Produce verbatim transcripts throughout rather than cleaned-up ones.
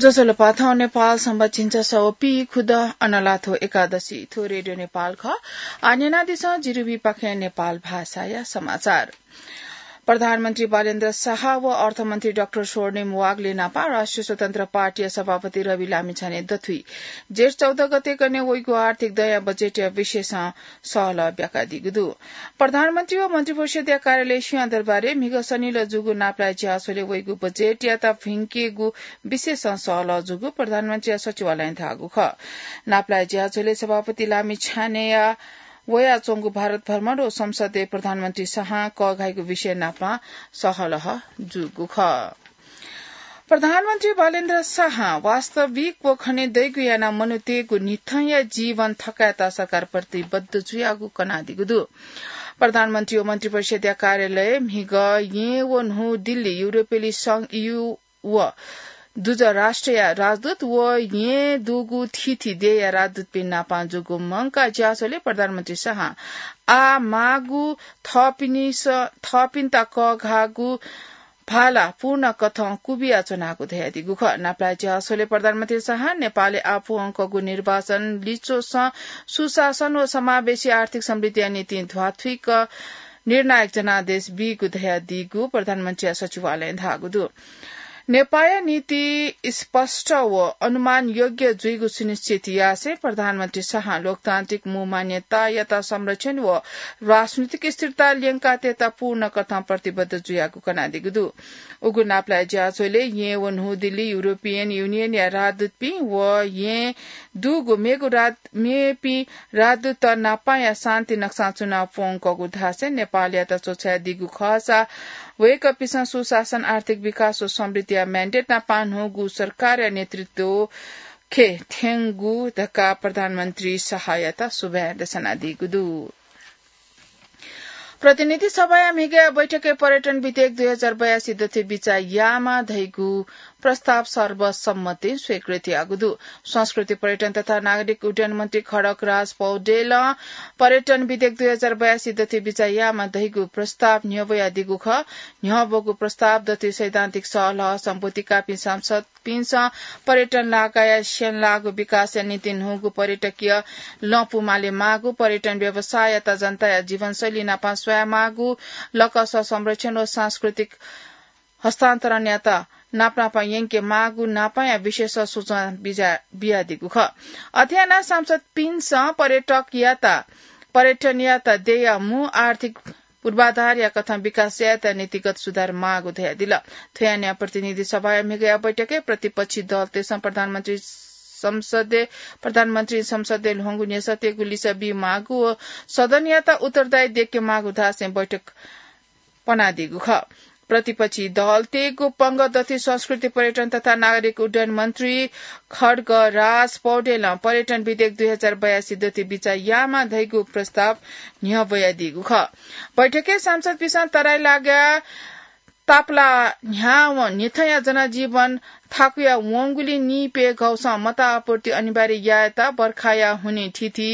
ज्वजलपा, थौं नेपाल संवत झिंछसः व पीखुदँ अनलाथ्व एकादशी। थ्व रेडियो नेपाल खः। आः न्यनादिसँ जिरिमि पाखें नेपाल भाषाया समाचार। प्रधानमन्त्री बालेन्द्र शाह व अर्थमन्त्री डाक्टर स्वर्णिम वाग्ले नापं राष्ट्रिय स्वतन्त्र पार्टीया सभापति रवि लामिछाने दथुइ जेठ चौध गते कने वइगु आर्थिक दँया बजेटया विषयसं सहलह ब्याकादीगु दु। प्रधानमन्त्री व मन्त्रिपरिषदया कार्यालय सिंहदरबारय् म्हिगः सनिलः जूगु नापलाये झ्याःझ्वलय् वइगु बजेटयात भिंकेगु विषयसं सहलह जूगु प्रधानमन्त्रीया सचिवालयं धाःगु खः। नापलाये झ्याःझ्वलय् सभापति लामिछानेया वयाच्वंगु भारत भ्रमण व संसदय् प्रधानमन्त्री शाहं कःघाइगु विषय नापं सहलह जूगु खः। प्रधानमन्त्री बालेन्द्र शाहं वास्तविक व खनेदइगु यानाः मनूतय्‌गु न्हिथंया जीवन थकायेत सरकार प्रतिबद्ध जुयागु कनादीगु दु। प्रधानमन्त्री व मन्त्रिपरिषदया कार्यालय म्हिगः येँ व न्हू दिल्ली, युरोपेली संघ, ईयू व दुजः राष्ट्रया राजदूत व येँ दुगु थीथी देय्‌या राजदूतपिं नापं जूगु मंकाः ज्याझ्वलय् प्रधानमन्त्री शाहं आः माःगु थःपिनिस-, थःपिन्त कःघाःगु भाला पूर्ण कथं क्वबियाच्वनागु धयादीगु खः। नापलाये झ्याःझ्वलय् प्रधानमन्त्री शाहं नेपालय् आः पूवंकःगु निर्वाचन लिच्वसं सुशासन व समावेशी आर्थिक समृद्धिया निंतिं ध्वाथुइक निर्णायक जनादेश बीगु धयादीगु प्रधानमन्त्रीया सचिवालयं धाःगु दु। नेपाःया नीति स्पष्ट व अनुमान योग्य जुइगु सुनिश्चित यासें प्रधानमन्त्री शाहं लोकतान्त्रिक मू मान्यतायात संरक्षण व राजनीतिक स्थिरता ल्यंकातयेत पूर्ण कथं प्रतिबद्ध जुयागु कनादीगु दु। उगु नापलाये ज्याझ्वलय् येँ व न्हू दिल्ली, युरोपियन युनियनया राजदूतपिं व येँ दुगु मेगु राज-, मेपिं राजदूत नापांया शान्ति नक्सां च्वना प्वंकःगु धासें नेपालयात च्वछायादीगु खःसा वय्‌कःपिसं सुशासन, आर्थिक विकास व समृद्धिया mandate नापां न्हूगु सरकारया नेतृत्व खे थ्यंगु धकाः प्रधानमन्त्री शाहयात सुभाय् दसनादीगु दु। प्रतिनिधि सभाया म्हिगःया बैठकय् पर्यटन विधेयक दुई हजार बयासी दथुइ बिचाः यायेमाः धइगु प्रस्ताव सर्वसम्मतिं स्वीकृत याःगु दु। संस्कृति, पर्यटन तथा नागरिक उड्डयन मन्त्री खड्गराज पौडेलं पर्यटन विधेयक दुई हजार बयासी दथुइ बिचाः यायेमाः धइगु प्रस्ताव न्ह्यब्वयादीगु खः। न्ह्यब्वःगु प्रस्ताव दथुइ सैद्धान्तिक सहलह सम्बोधि काःपिं सांसद पिन्सं पर्यटन लागाया स्यंलाःगु विकासया निंतिं न्हूगु पर्यटकीय लँ पुमाले माःगु, पर्यटन व्यवसाययात जनताया जीवनशैली नापं स्वयामाःगु, लकस संरक्षण व सांस्कृतिक हस्तान्तरणयात नापनापं यंके माःगु नापंया विषयस सूचना बिजा-, बियादीगु खः। अथे यानाः सांसद पिन्सं पर्यटकयात, पर्यटनयात देय्‌या मू आर्थिक पूर्वाधारया कथं विकास यायेत नीतिगत सुधार माःगु धयादिल। थ्व यानाः प्रतिनिधि सभाया म्हिगःया बैठकय् प्रतिपक्षी दलतय्‌सं प्रधानमन्त्री संसदय्, प्रधानमन्त्री संसदय् ल्ह्वंगु न्ह्यसःतेगु लिसः बी माःगु व सदनयात उत्तरदायी दयेके माःगु धासें बैठक पनादीगु खः। प्रतिपक्षी दलतय्‌गु पंगः दथुइ संस्कृति, पर्यटन तथा नागरिक उड्डयन मन्त्री खड्गराज पौडेलं पर्यटन विधेयक दुई हजार बयासी दथुइ बिचाः यायेमाः धइगु प्रस्ताव न्ह्यब्वयादीगु खः। बैठकय् सांसदपिन्सं तराई लागाया तापाला न्ह्यावं न्हिथंया जनजीवन थाकुया वंगुलिं निइपय् घौसं मताः आपूर्ति अनिवार्य यायेत बर्खाया हुनिं थीथी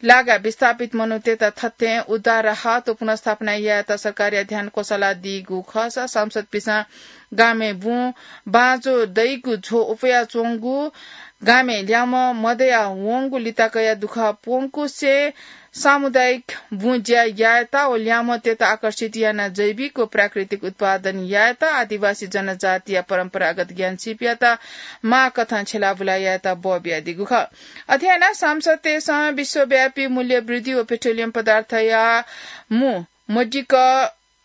लागाय् विस्थापित मनूतय्‌त थथें उद्धार राहत व पुनर्स्थापना यायेत सरकारया ध्यान क्वसालादीगु खःसा सांसदपिन्सं गामय् बुँ बाँझो दइगु झ्व उफयाच्वंगु, गामय् ल्याम्ह मदया वंगु लिताकया दुःख प्वंकुसे सामुदायिक बुँ ज्या यायेत व ल्याम्हतय्‌त आकर्षित यानाः जैविक व प्राकृतिक उत्पादन यायेत आदिवासी जनजातिया परम्परागत ज्ञानसिपयात माःकथं छ्यलाबुला यायेत बः बियादीगु खः। अथे यानाः सांसदतय्‌सं विश्वव्यापी मूल्य वृद्धि व पेट्रोलियम पदार्थया मू मदिक्क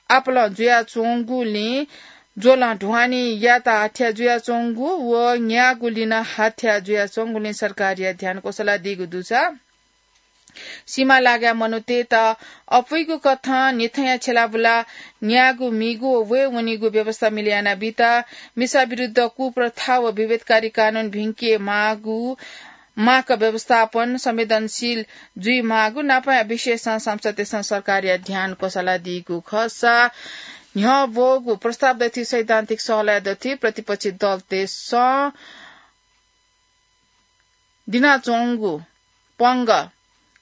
आपालं जुयाच्वंगुलिं ज्वलं ढ्वानी यायेत हाथ्या जुयाच्वंगु व न्यागू लिनं हाथ्या जुयाच्वंगुलिं सरकारया ध्यान क्वसालादीगु दुसा सीमा लागाया मनूतय्‌त अपुइगु कथं न्हिथंया छ्यलाबुला न्यागू मीगू व वये वनीगु व्यवस्था मिले यानाबीत, मिसा विरुद्ध कुप्रथा व विभेदकारी कानून भिंके माःगु, माःक व्यवस्थापन संवेदनशील जुइ माःगु नापं विषयसं संसदय्‌सं सरकारया ध्यान क्वसालादीगु खःसा न्ह्यब्वःगु प्रस्ताव दथुइ सैद्धान्तिक सहलह दथुइ प्रतिपक्षी दलतय्‌सं दिनाच्वंगु पंगः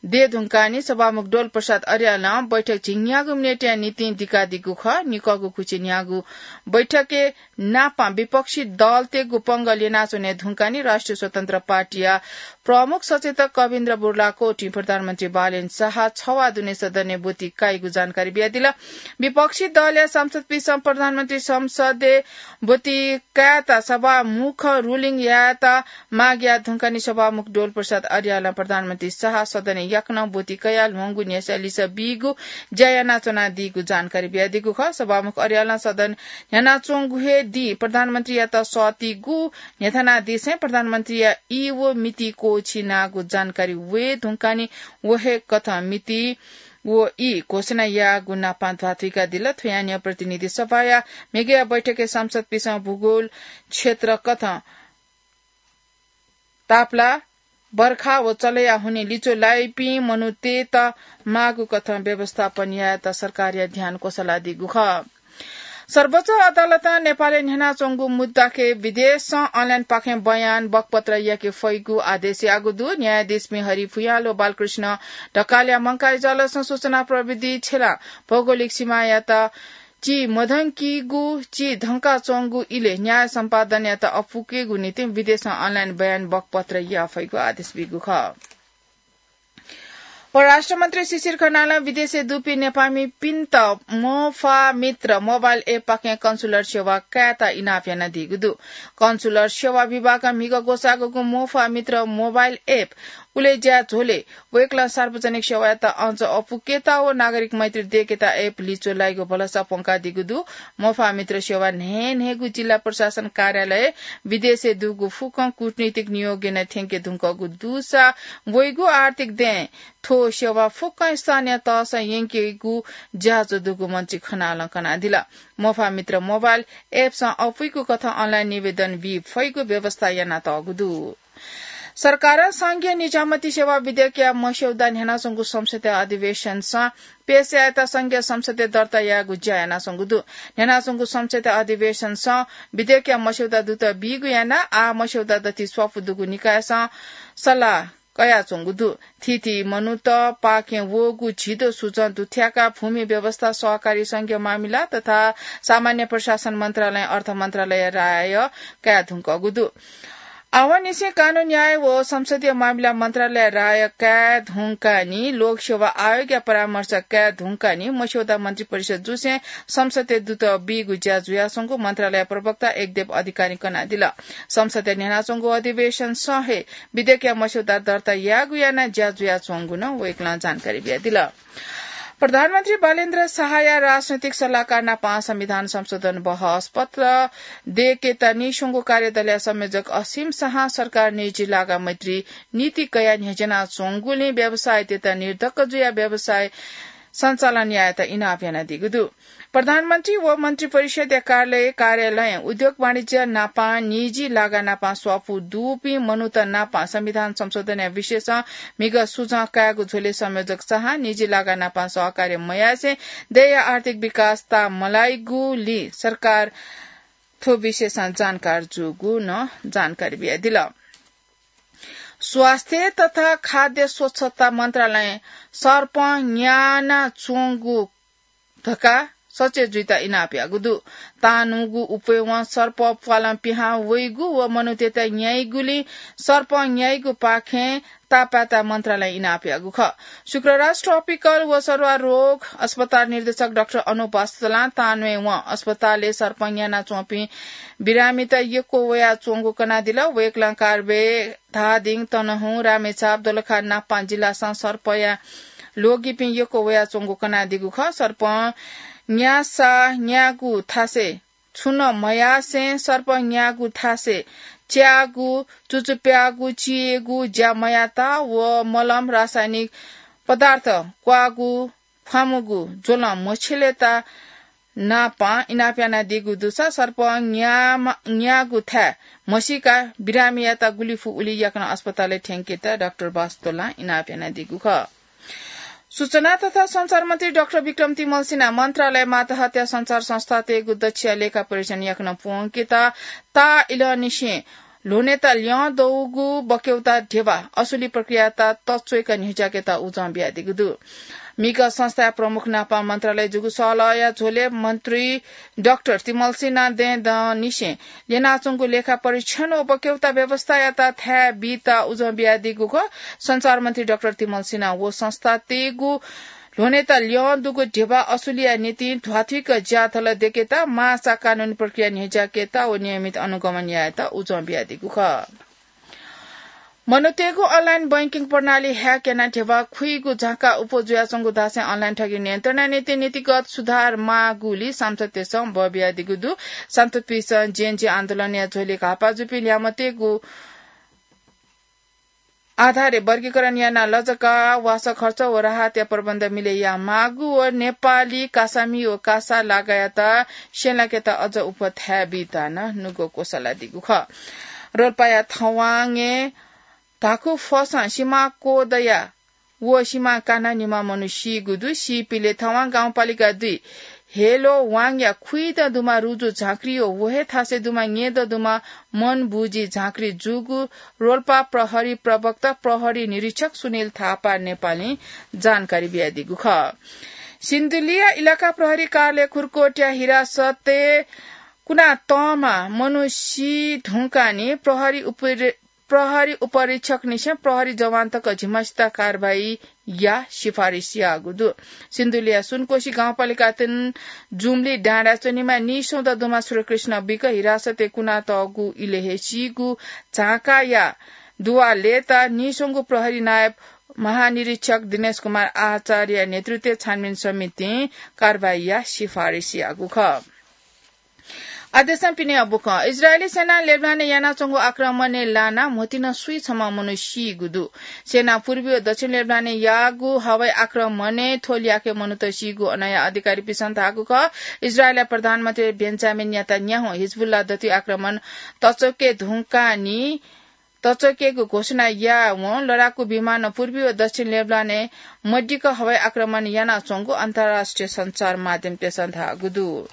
दये धुंकानि सभामुख डोल प्रसाद अर्यालं बैठक झिंन्यागू मिनेटया निंतिं दिकादीगु खः। निकःगु कुछि न्यागू बैठकय् नापं विपक्षी दलतय्गु पंगः ल्यनाच्वने धुंकानि राष्ट्रिय स्वतन्त्र पार्टीया प्रमुख सचेतक कविन्द्र बुर्लाकोटीं प्रधानमन्त्री बालेन शाह छवा दुने सदनय् ब्वति काइगु जानकारी बियादिल। विपक्षी दलया सांसदपिन्सं प्रधानमन्त्री संसदय् ब्वति कायेत सभामुखं ruling यायेत माग याये धुंकानि सभामुख डोल प्रसाद अर्यालं प्रधानमन्त्री शाह सदनय् याकनं ब्वति कयाः ल्ह्वंगु न्ह्यसः लिसः बीगु ज्या यानाच्वनादीगु जानकारी बियादीगु खः। सभामुख अर्यालं सदन न्ह्यानाच्वंगु हे दिं प्रधानमन्त्रीयात सःतीगु न्ह्यथनादिसें प्रधानमन्त्रीया ई व मिति क्वःछिनागु जानकारी वये धुंकानि व हे कथं मिति व ई घोषणा याःगु नापं ध्वाथुइकादिल। थ्व यानिं प्रतिनिधि सभाया म्हिगःया बैठकय् सांसदपिन्सं भूगोल क्षेत्र कथं तापला, बर्खा व चलया हुनिं लिच्वः लाइपिं मनूतय्त माःगु कथं व्यवस्थापन यायेत सरकारया ध्यान क्वसलादीगु खः। सर्वोच्च अदालतं नेपालय् न्ह्यानाच्वंगु मुद्दाके विदेशं online पाखें बयान बकपत्र याके फइगु आदेश याःगु दु। न्यायाधीशपिं हरि भुयाल व बालकृष्ण ढकालया मंकाः इजलासं सूचना प्रविधि छेँय् भौगोलिक सीमायात चिधंकाच्वंगु, चिधंकाच्वंगु इलय् न्याय सम्पादनयात अपुकेगु निंतिं विदेशं online बयान बकपत्र याये फइगु आदेश बीगु खः। परराष्ट्र मन्त्री शिशिर खनालं विदेशय् दुपिं नेपाःमिपिन्त मोफा मित्र mobile app पाखें consular सेवा कायेत इनाप यानादीगु दु। Consular सेवा विभागं म्हिगः ग्वसाःगु मोफा मित्र mobile app उलेज्या झ्वलय् वय्कलं सार्वजनिक सेवायात अझ अपुकेत व नागरिक मैत्री दयेकेत app लिच्वः लाइगु भलसा प्वंकादीगु दु। मोफा मित्र सेवा न्हय्न्हय्गु जिल्ला प्रशासन कार्यालय विदेशय् दुगु फुक्कं कूटनीतिक नियोग यानाः थ्यंके धुंकूगु दुसा वइगु आर्थिक दँय् थ्व सेवा फुक्कं स्थानीय तहसं यंकेगु ज्याझ्वः दुगु मन्त्री खनालं कनादिल। मोफा मित्र mobile app सं अपुइगु कथं online निवेदन बी फइगु व्यवस्था यानातःगु दु। सरकारं संघीय निजामती सेवा विधेयकया मस्यौदा न्ह्यानाच्वंगु संसदीय अधिवेशनसं पेश यायेत संघीय संसदय् दर्ता यायेगु ज्या यानाच्वंगु दु। न्ह्यानाच्वंगु संसदीय अधिवेशनसं विधेयकया मस्यौदा दुत बीगु यानाः आः मस्यौदा दथुइ स्वापू दुगु निकायसं सल्लाह कयाच्वंगु दु। थीथी मनूत पाखें वःगु झिदँ सुचं दुथ्याकाः भूमि व्यवस्था, सहकारी संघीय मामिला तथा सामान्य प्रशासन मन्त्रालयं अर्थ मन्त्रालयया राय काये धुंकूगु दु। आवंनिसें कानून न्याय व संसदीय मामिला मन्त्रालयया राय काये धुंकाः नि लोकसेवा आयोगया परामर्श काये धुंकाः नि मस्यौदा मन्त्रिपरिषद जुसें संसदय् दुत बीगु ज्या जुयाच्वंगु मन्त्रालय प्रवक्ता एकदेव अधिकारीं कनादिल। संसदय् न्ह्यानाच्वंगु अधिवेशनसं हे विधेयकया मस्यौदा दर्ता यायेगु यानाः ज्या जुयाच्वंगु नं वय्कलं जानकारी बियादिल। प्रधानमन्त्री बालेन्द्र शाहया राजनैतिक सल्लाहकार नापं संविधान संशोधन बहस पत्र दयेकेत नीस्वंगु कार्यदलया संयोजक असीम शाहं सरकार निजी लागा मैत्री नीति कयाः न्ह्यज्यानाच्वंगुलिं व्यवसायीतय्त निर्धक्क जुयाः व्यवसाय सञ्चालन यायेत इनाप यानादीगु दु। प्रधानमन्त्री व मन्त्रिपरिषदया कार्यालय, कार्यालयं उद्योग वाणिज्य नापं निजी लागा नापं स्वापू दुपिं मनूत नापं संविधान संशोधनया विषयसं म्हिगः सुझाव कायेगु झ्वलय् संयोजक शाहं निजी लागा नापं सहकार्य मयासें देय्‌या आर्थिक विकास ताःमलाइगुलिं सरकार थ्व विषयसं जानकार जूगु नं जानकारी बियादिल। स्वास्थ्य तथा खाद्य स्वच्छता मन्त्रालयं सर्पं न्यानाच्वंगु धकाः सचेत जुइत इनाप याःगु दु। तांन्वःगु उपेवं सर्प प्वालं पिहां वइगु व मनूतय्त न्याइगुलिं सर्पं न्याइगु पाखें तापाय्त मन्त्रालयं इनाप याःगु खः। शुक्रराज ट्रपिकल व सरुवा रोग अस्पताल निर्देशक डाक्टर अनुप बास्तोलां तांन्वय्वं अस्पतालय् सर्पं न्यानाच्वंपिं बिरामीत यक्व वयाच्वंगु कनादिल। वय्कलं कार्बेक, धादिङ, तनहुँ, रामेछाप, दोलखा नापं जिल्लासं सर्पया ल्वगिपिं यक्व वयाच्वंगु कनादीगु खः। सर्पं न्यासा न्यागू थासय् छुं नं मयासें सर्पं न्यागू थासय् च्याःगु, चुचुप्याःगु, चियेगु ज्या मयात व मलम, रासायनिक पदार्थ क्वाःगु, ख्वामुगु ज्वलं मछिलेत नापं इनाप यानादीगु दुसा सर्पं न्यामा-, न्याःगु थाय् म्हसीकाः बिरामीयात गुलि फु उलि याकनं अस्पतालय् थ्यंकेत डाक्टर बास्तोलां इनाप यानादीगु खः। सूचना तथा सञ्चार मन्त्री डाक्टर विक्रम तिमल्सिनां मन्त्रालय मातहतया सञ्चार संस्थातय्गु दच्छिया लेखा परीक्षण याकनं प्वंकेत ताः इलंनिसें ल्ह्वनेत ल्यं दउगु बक्यौता ध्यबा असुली प्रक्रियायात तच्वय्क न्ह्यज्याकेत उजं बियादीगु दु। म्हिगः संस्थाया प्रमुख नापं मन्त्रालय जूगु सहलहया झ्वलय् मन्त्री डाक्टर तिमल्सिनां दँय्दंनिसें ल्यनाच्वंगु लेखा परीक्षण व बक्यौता व्यवस्थायात थाय् बीत उजं बियादीगु खः। सञ्चार मन्त्री डाक्टर तिमल्सिनां व संस्थातय्गु ल्ह्वनेत ल्यं दुगु ध्यबा असुलिया निंतिं ध्वाथुइक ज्याझ्वः दयेकेत, माःसा कानूनी प्रक्रिया न्ह्यज्याकेत व नियमित अनुगमन यायेत उजं बियादीगु खः। मनूतय्गु online banking प्रणाली hack यानाः ध्यबा खुइगु झाँक्का अप्वः जुयाच्वंगु धासें online ठगी नियन्त्रणया निंतिं नीतिगत सुधार माःगुलिं सांसदतय्सं बः बियादीगु दु। सांसदपिन्सं Gen Z आन्दोलनया झ्वलय् घाःपाः जूपिं ल्याय्म्हतय्गु आधारय् वर्गीकरण यानाः लजगाः, वासः खर्च व राहतया प्रबन्ध मिलय् यायेमाःगु व नेपाली कासामि व कासा लागायात स्यंलाकेत अझ अप्वः थाय् बीत नं नुगः क्वसलादीगु खः। रोल्पाया थवांगय् धाखू फसं सिमा क्वदया व सिमा कानाः निम्ह मनू सीगु दु। सीपिले थवां गाउँपालिका दुई हेलोवाङया खुइदँ दुम्ह रुजु झाँक्री व व हे थासय् दुम्ह न्येदँ दुम्ह मनबुझी झाँक्री जूगु रोल्पा प्रहरी प्रवक्ता प्रहरी निरीक्षक सुनिल थापा नेपालीं जानकारी बियादीगु खः। सिन्धुलीया इलाका प्रहरी कार्यालय खुर्कोटया हिरासतय् कुनातःम्ह मनू सी धुंकाः प्रहरी उप- प्रहरी उपरीक्षकनिसें प्रहरी जवान तक झिम्हसित कारवाही याः सिफारिस याःगु दु। सिन्धुलीया सुनकोशी गाउँपालिका तीन जुम्ली डाँडाय् च्वनीम्ह नीस्वंगू दुम्ह श्रीकृष्ण विक हिरासतय् कुनातःगु इलय् हे सीगु झाँक्काया दुवालय्त नीस्वंगू प्रहरी नायब महानिरीक्षक दिनेश कुमार आचार्यया नेतृत्वय् छानबिन समितिं कारवाही याः सिफारिस याःगु खः। आदेशं पिने अबुकं। इजरायली सेनां लेबनानय् यानाच्वंगु आक्रमणय् लानाः म्होतिं सुइछम्ह मनू सीगु दु। सेनां पूर्वी व दक्षिण लेबनानय् याःगु हवाई आक्रमणय् थ्व ल्याखय् मनूत सीगु अनया अधिकारीपिन्सं धाःगु खः। इजरायलया प्रधानमन्त्री बेन्जामिन नेतान्याहु हिजबुल्लाह दथुइ आक्रमण तच्वके धुंकाः नि तच्वकेगु घोषणा याःवं लडाकू विमानं पूर्वी व दक्षिण लेबनानय् मदिक्क हवाई आक्रमण यानाच्वंगु अन्तर्राष्ट्रिय सञ्चार माध्यमतय्सं धाःगु दु।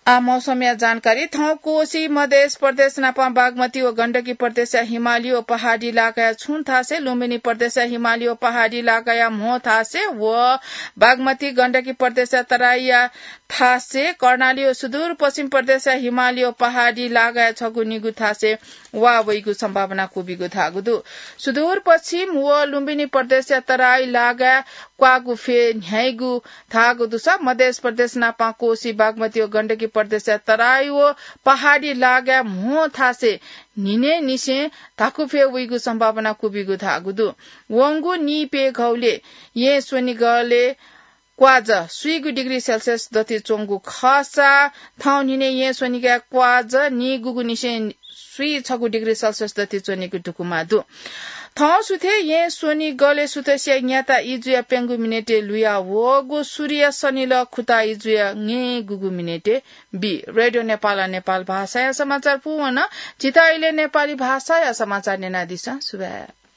आ मौसमया जानकारी। थौं कोशी, मधेश प्रदेश नापं बागमती व गण्डकी प्रदेशया हिमाली व पहाडी लागाया छुं थासय्, लुम्बिनी प्रदेशया हिमाली व पहाडी लागाया म्हो थासय् व बागमती गण्डकी प्रदेशया तराईया थासय्, कर्णाली व सुदूरपश्चिम प्रदेशया हिमाली व पहाडी लागाया छगू निगू थासय् वा वइगु सम्भावना क्वबिगु धाःगु दु। सुदूरपश्चिम व लुम्बिनी प्रदेशया तराई लागाय् क्वाःगु फय् न्ह्याइगु धाःगु दुसा मधेश प्रदेश नापं कोशी, बागमती व गण्डकी प्रदेशया तराई व पहाडी लागाय् म्हो थासय् न्हिनय् निसें धाकु फय् वइगु सम्भावना क्वबिगु धाःगु दु। वंगु नीप्यघौलय् येँ स्वनिगलय् क्वाःजः स्वीगू डिग्री सेल्सियस दथुइ च्वंगु खःसा, थौं न्हिनय् येँ स्वनिगलय् क्वाःजः नीगूगु निसें स्वीछगू डिग्री सेल्सियस दथुइ च्वनीगु धुकुमा दु। थौं सुथय् येँ स्वनिगलय् सुथसिया न्याता इजुया प्यंगू मिनेटय् लुया वःगु, सूर्य सनिलः खुता इजुया न्हय्गूगु मिनेटय् बी। रेडियो नेपालं नेपाल भाषाया समाचार पूवन। झीत अले नेपाली भाषाया समाचार न्यनादिसँ। सुभाय्।